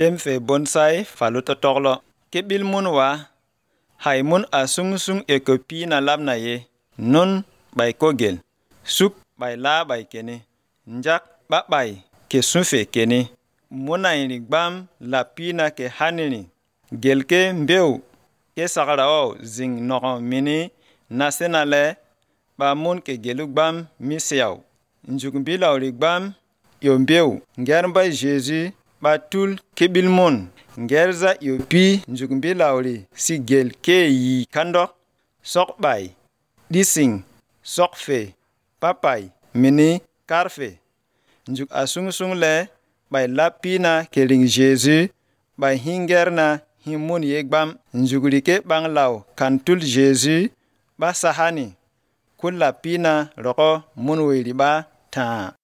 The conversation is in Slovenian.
tem fe bonsai falu totoklo ke bil mun wa hay mun a sung e ko pi na lab na ye nun bai kogel suk bai la bai kene njak ba bai ke sunfe kene muna iri gbam la pi na ke hanini gelke mbeu ke sagrao zing noko mini nasenale ba mun ke gelu gbam misiaw njuk bilawri gbam yo mbeu ngerba Jesus ba tul kebil mun ngerza yo pi njuk bilawri si gel ke yi kandok sok bai dising sok fe papai mini karfe njuk asung le bai lapina keling Jesus bai hingerna himun yegbam njugri ke banglaw kantul Jesus ba sahani kula pina roko munwiri ba ta